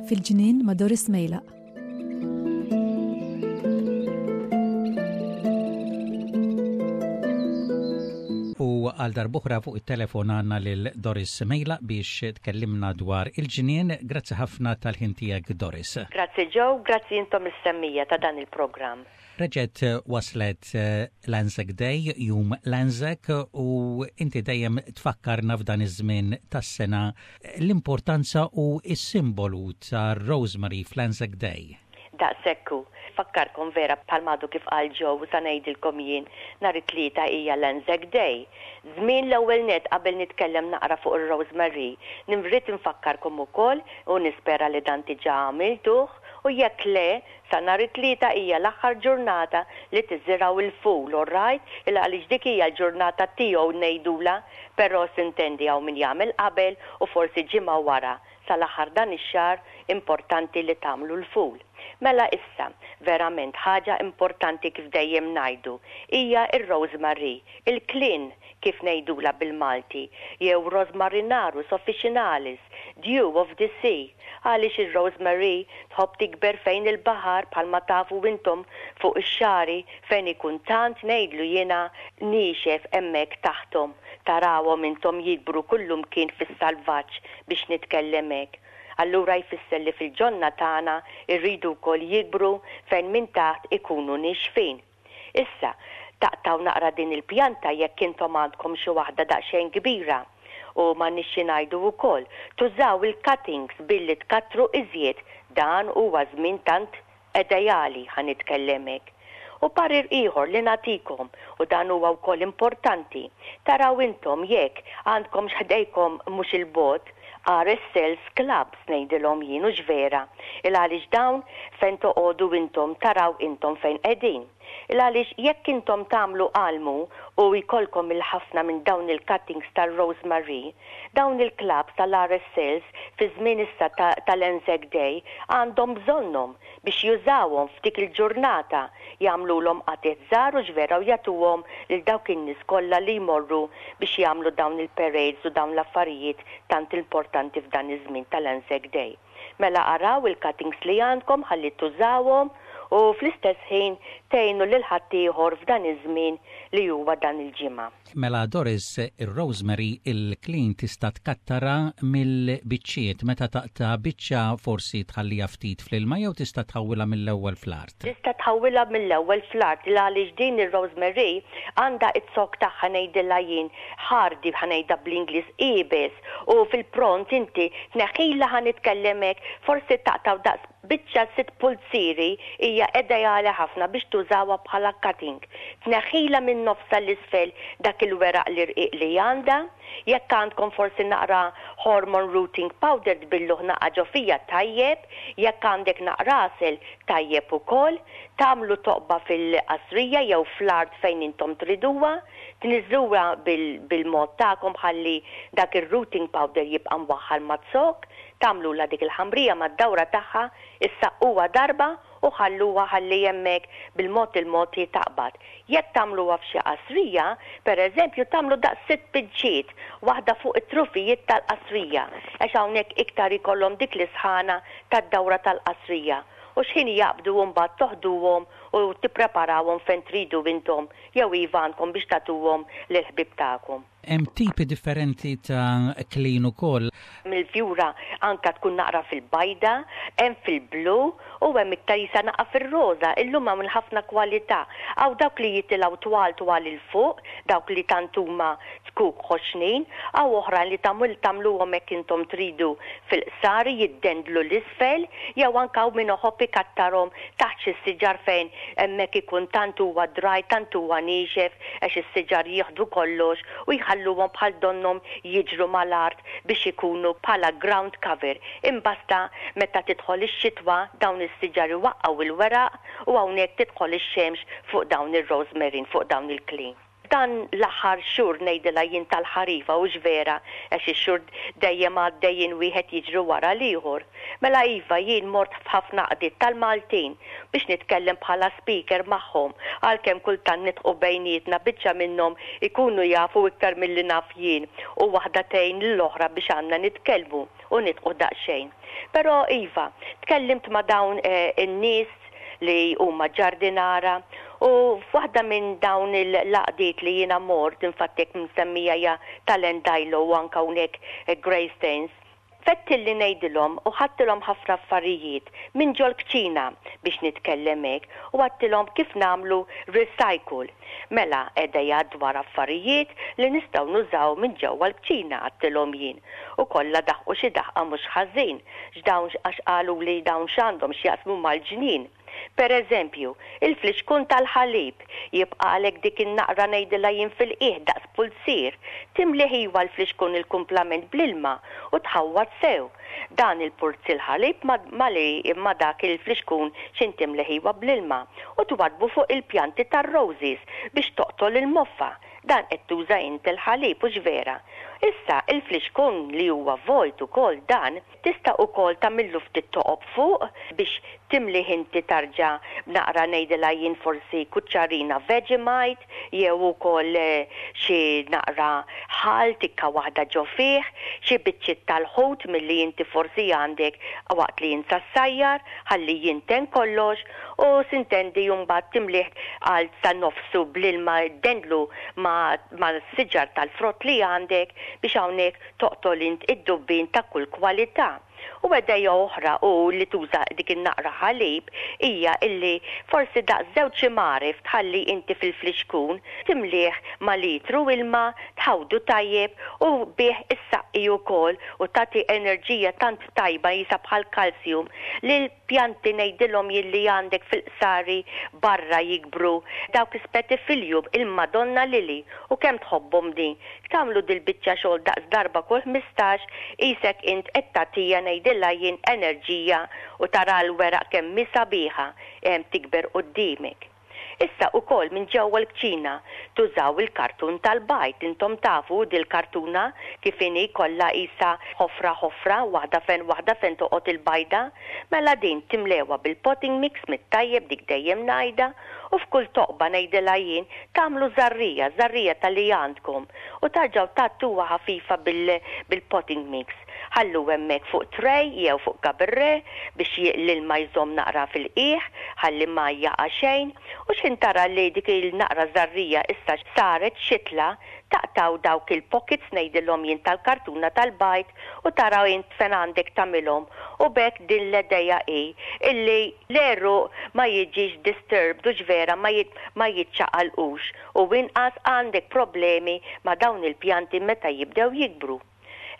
Fil-ġnien ma' Doris Mejlaq. U għal darb'oħra fuq it-telefon għandna lil Doris Mejlaq biex tkellimna dwar il-ġnien. Grazzi ħafna tal-ħin tiegħek Doris. Grazzi Joe, grazzi intom is-semmija ta' dan il-programm. Reġgħet waslet l-Anzac Day, jum l-Anzac, u inti dejjem tfakkarna f'dan iż-żmien tas-sena l-importanza u s-simbolu tar-rosemary fl-Anzac Day. Daqshekk hu. Fakkarkom vera bħalma għadu kif qal Joe u sa ngħidilkom jien, nhar it-Tlieta hija l-Anzac Day. Żmien l-ewwel nett qabel nitkellem naqra fuq ir-rosemary, nrid infakkarkom ukoll u nispera li dan diġà għamiltuh u jekk le, Sa nhar it-Tlieta hija l-aħħar ġurnata li tiżirgħu l-ful, all right? Il għaliex dik hija l-ġurnata tiegħu ngħidulha, però sintendi hawn min jagħmel qabel u forsi ġimgħa wara, sal-aħħar dan ix-xahar importanti li tagħmlu l-ful. Mela issa, verament ħaġa importanti kif dejjem ngħidu, hija r-rosemary, il-klin kif ngħidulha bil-Malti, jew Rosmarinarus officinalis, dew of the sea, għaliex ir-rosemary tħobb tikber fejn il-baħar bħalma tafu intom fuq ix-xagħri fejn ikun tant ngħidlu jiena niexef hemmhekk taħthom tarawhom intom jikbru kullumkien fis-salvaġġ biex nitkellem hekk. Allura jfisser li fil-ġonna tagħna rridu wkoll jikbru fejn minn taħt ikunu niexfin. Issa, taqtgħu naqra din il-pjanta jekk intom għandkom xi waħda daqsxejn kbira. U m'għandniex xi ngħidu wkoll, tużaw il-cuttings billi tkattru iżjed, dan huwa żmien tant edejali, ħa nitkellem hekk. U parir ieħor li nagħtikom, u dan huwa wkoll importanti, taraw intom jekk għandkomx ħdejkom mhux 'il bogħod, RSLs clubs ngħidilhom jien hux vera, il għaliex dawn fejn toqogħdu intom taraw intom fejn qegħdin. Il għaliex jekk intom tagħmlu almu u jkollkom il ħafna minn dawn il-cuttings tar-rosemary, dawn il-clubs tal-RSLs fi żmien issa ta' tal-Anzac Day għandhom bżonnhom biex jużawhom f'dik il-ġurnata, jagħmlulhom qatigħ żgħar hux vera u jagħtuhom lil dawk in-nies kollha li jmorru biex jagħmlu dawn il-parades u dawn l-affarijiet tant importanti f'dan iż-żmien tal-Anzac Day. Mela araw il-cuttings li għandkom ħalli tużawhom u fl-istess ħin tgħinu lil ħaddieħor f'dan iż-żmien li huwa dan il-ġimgħa. Mela Doris, ir-rosemary il-klin tista' tkattarha mill-biċċiet. Meta taqta' biċċa forsi tħalliha ftit fl-ilma jew tista' tħawwilha mill-ewwel fl-art? Tista' tħawwilha mill-ewwel fl-art il għaliex din ir-rosemary għandha iz-zokk tagħha ngħidilha jien ħardi ħa ngħidha bl-Ingliż iebes u fil-pront inti tneħħilha ħa nitkellem hekk forsi taqtgħu daqs Biċċa sitt pulzieri hija ideali ħafna biex tużawha bħala cutting. Tneħħilha minn nofsha 'l isfel dak il-weraq l-irqiq li għandha. Jekk għandkom forsi naqra hormone rooting powder tbilluh naqa' ġo fija tajjeb, jekk għandek naqra għasel tajjeb ukoll. Tagħmlu toqba fil-qasrija jew fl-art fejn intom triduha, tniżżluha bil-mod tagħkom ħalli dak ir-rooting powder jibqa' mwaħħal maz-zokk. Tagħmlulha dik il-ħamrija mad-dawra tagħha, issaqquha darba u ħalluha ħalli hemmhekk bil-mod il-mod hi taqbad. Jekk tagħmluha f'xi qasrija, per eżempju, tagħmlu daqs sitt biċċiet, waħda fuq it-trufijiet tal-qasrija, għax hawnhekk iktar ikollhom dik l-isħana tad-dawra tal-qasrija. U x'ħin jaqbdu mbagħad toħduhom u tippreparawhom fejn tridu intom jew iva għandkom biex tagħtuhom lill-ħbieb tagħkom. Hemm tipi differenti ta' klin ukoll. Mill-fjura anka tkun naqra fil-bajda, hemm fil-blu u hemm iktar jisa naqa' fir-roża. Illum hawn ħafna kwalità. Hawn dawk li jitilgħu twal twal 'il fuq, dawk li tant huma zkuk ħoxnin, hawn oħrajn li tagħmel tagħmluhom hekk intom tridu fil-qsari jiddendlu 'l isfel, jew anke hawn min iħobb ikattarhom taħt xi siġar fejn hemmhekk ikun tant huwa dry, tant huwa niexef għax is-siġar jieħdu kollox u jħalluhom bħal donnhom jiġru mal-art biex ikunu bħala ground cover. Imbasta meta tidħol ix-xitwa dawn is-siġar iwaqqgħu l-weraq u hawnhekk tidħol ix-xemx fuq dawn ir-rosemaryn, fuq dawn il-klin. F'dan l-aħħar xhur ngħidilha jien tal-ħarifa hux vera għax ix-xhur dejjem għaddejjin wieħed jiġri wara l-ieħor. Mela iva jien mort f'ħafna għaqdiet tal-Maltin biex nitkellem bħala speaker magħhom għalkemm kultant nidħqu bejnietna biċċa minnhom ikunu jafu iktar milli naf jien u waħda tgħin lill-oħra biex għandna nitkellmu u nidħqu daqsxejn. Però iva, tkellimt ma' dawn in-nies li huma ġardinara u f'waħda minn dawn il-għaqdiet li jiena mort, infatti jekk nsemmija hija tal-Endajlo u anke hawnhekk Greystanes, fettilli ngħidilhom u ħadtilhom ħafna affarijiet minn ġol-kċina biex nitkellem hekk u għadtilhom kif nagħmlu recycle. Mela għedeja dwar affarijiet li nistgħu nużaw minn ġewwa l-kċina għadtilhom jien u kollha daħqu xi daħqa mhux ħażin x'dawn għax qaluli dawn x'għandhom x'jaqsmu mal-ġnien. Per eżempju, il-flixkun tal-ħalib, jibqagħlek dik in-naqra ngħidilha jien fil-qiegħ daqs pulzier, timlih iwa l-flixkun il-kumplament bl-ilma u tħawwad sew. Dan il-purziel ħalib ma' ma' li ma' dak il-flixkun x'in timlih iwa bl-ilma u twaddbu fuq il-pjanti tar-roses biex toqtol il-moffa. Dan qed tuża int il-ħalib hux vera? Issa, il-flixkun li huwa vojt ukoll dan, Tista' ukoll tagħmillu ftit toqob fuq biex timlih inti tarġa' b'naqra ngħidilha jien forsi kuċċarina Vegemite jew ukoll xi naqra ħall tikka waħda ġo fih, xi biċċiet tal-ħut milli inti forsi għandek waqt li int sa ssajjar ħalli jinten kollox u sintendi mbagħad timlih għal sa nofsu bl-ilma ddendlu ma' mas-siġar tal-frott li għandek biex hawnhekk Toqtol int id-dubbien ta' kull kwalità. U idea oħra u li tuża dik in-naqra ħalib hija illi forsi daqs żewġ imgħarif tħalli inti fil-flixkun, timlieh ma' litru ilma, tħawdu tajjeb u bih issaqqi ukoll u tagħti enerġija tant tajba qisha bħal calcium lil pjanti ngħidilhom jien li għandek fil-qsari barra jikbru dawk is-spatifilium il-Madonna Lily u kemm tħobbhom din Tagħmlu dil-biċċa xogħol daqs darba kull 15, qisek int qed tagħtija ngħidilha jien enerġija u tara l-weraq kemm hi sabiħa hemm tikber quddiemek. Issa ukoll minn ġewwa l-kċina tużaw il-kartun tal-bajd, intom tafu dil-kartuna kif inhi kollha qisha ħofra ħofra, waħda fejn waħda fejn toqgħod il-bajda, mela din timlewha bil-potting mix mit-tajjeb dik dejjem ngħidha, U f'kull toqba ngħidilha jien, tagħmlu żarrija, żarrija ta' li għandkom, u tarġgħu tgħattuha ħafifa bil, bil-potting mix. Ħallu hemmhekk fuq tray jew fuq gabirre biex j, l-ilma jżomm naqra fil-qiegħ, ħalli ma jaqa' xejn. U x'ħin tara li dik il-naqra żarrija issa saret xitla, taqtgħu dawk il-pockets ngħidilhom jien tal-kartuna tal-bajd u tara int fejn għandek tagħmilhom u b'hekk din l-edeja hi illi l-għeruq ma jiġix disturbed hux vera ma ma jiċċaqalqux u inqas għandek problemi ma' dawn il-pjanti meta jibdew jikbru.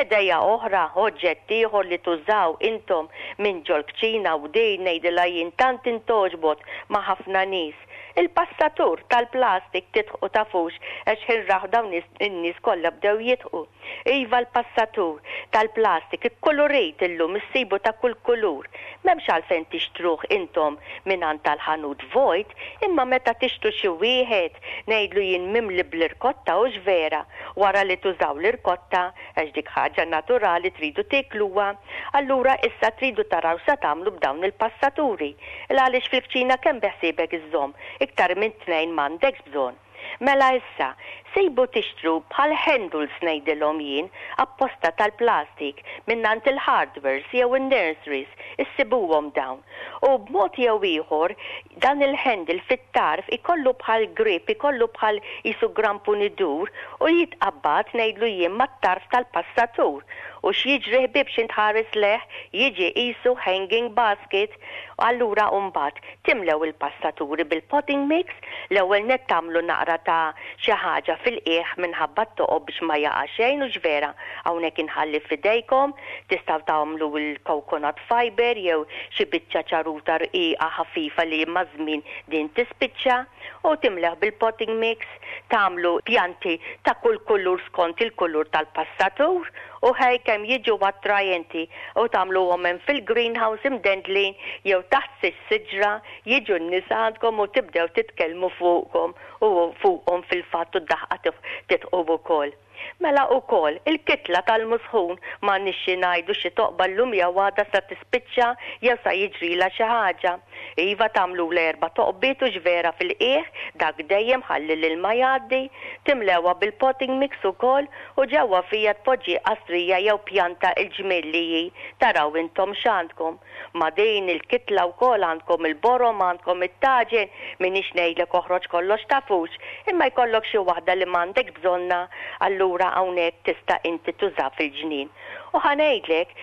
Edeja oħra, oġġett ieħor li tużaw intom minn ġol-kċina u din ngħidilha jien tant intgħoġbot ma' ħafna nies, il-passatur tal-plastik tidħqu tafux għax x'ħin raw dawn in-nies kollha bdew jidħqu. Iva l-passatur tal-plastik ikkulurit illum issibu ta' kull kulur. M'hemmx għalfejn tixtruh intom mingħand tal-ħanut vojt imma meta tixtru xi wieħed ngħidlu jien mimli bl-irkotta hux vera wara li tużaw l-irkotta għax dik ħaġa naturali tridu tiekluha allura issa tridu taraw x'sa tagħmlu b'dawn il-passaturi il-għaliex fil-kċina kemm beħsiebek iżżomm iktar minn tnejn m'għandekx bżonn. Mela issa, sejbu tixtru bħal handles ngħidilhom jien, apposta tal-plastik, mingħand il-hardwares jew in-nurseries, issibuhom dawn. U b'mod jew ieħor, dan il-handle fit-tarf ikollu bħal grip, ikollu bħal qisu grampun idur u jitqabbad ngħidlu jien mat-tarf tal-passatur. U x'jiġri ħbieb x'int ħares lejh, jiġi qisu hanging basket. Allura mbagħad Timlew il-passaturi bil-potting mix, l-ewwel nett tagħmlu naqra ta' xi ħaġa fil-qiegħ minħabba t-toqob biex ma jaqa' xejn hux vera hawnhekk inħalli f'idejkom, tistgħu tagħmlu l-coconut fibre jew xi biċċa ċaruta rqiqa ħafifa li maż-żmien din tispiċċa u timlewh bil-potting mix, tagħmlu pjanti ta' kull kulur skont il-kulur tal-passatur. U ħej kemm jiġu attrajenti u tagħmluhom hemm fil-greenhouse imdendlin jew taħt xi siġra jiġu n-nies għandkom u tibdew titkellmu fuqkom u fuqhom fil-fatt u d-daħqa tidħqu wkoll. Mela ukoll, il-kitla tal-musħun m'għandniex xi ngħidu xi toqba llum jew għada sa tispiċċa jew sa jiġrilha xi ħaġa. Iva tagħmlulha erba' toqbiet hux vera fil-qiegħ, dak dejjem ħalli l-ilma jgħaddi, timlewha bil-potting mix ukoll u ġewwa fiha tpoġġi qastrija jew pjanta il-ġmiel li hi, taraw intom x'għandkom. Ma' din il-kitla wkoll għandkom il-borom, għandkom it-taġen, m'iniex ngħidlek oħroġ kollox tafux, imma jkollok xi waħda li m'għandekx bżonnha, allura hawnhekk tista' inti tuża fil-ġnien. U ħa ngħidlek,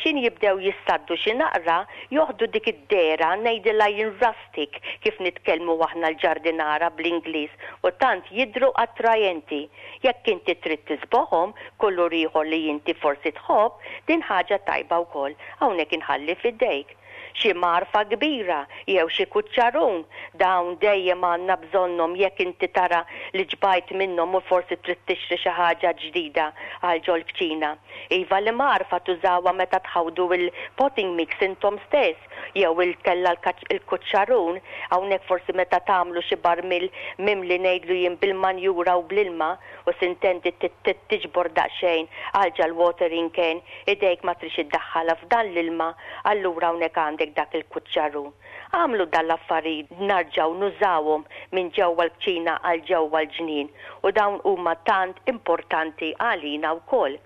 x'in jibdew jissaddu xi naqra, joħdu dik id-dehra, ngħidilha jien rustic, kif nitkellmu aħna l-ġardinara bl-Ingliż, u tant jidhru attrajenti. Jekk inti trid tiżboħhom, kulur ieħor li inti forsi tħobb, din ħaġa tajba wkoll. Hawnhekk inħalli f'idejk. Xi mgħarfa kbira jew xi kuċċarun, dawn dejjem għandna bżonnhom jekk inti tara li ġbajt minnhom u forsi trid tixtri xi ħaġa ġdida għal ġol-kċina. Iva l-imgħarfa tużawha meta tħawdu l-potting mix intom stess jew inkella l-kuċċarun, hawnhekk forsi meta tagħmlu xi barmil mimli ngħidlu jien bil-manjura u bl-ilma u sintendi tiġbor daqsxejn għal ġal-watering can Idejk ma tridx iddaħħalha f'dan l-ilma, allura hawnhekk għandek dak il-kuċċarun. Agħmlu dan l-affarijiet narġgħu nużawhom minn ġewwa l-kċina għal ġewwa l-ġnien u dawn huma tant importanti għalina wkoll.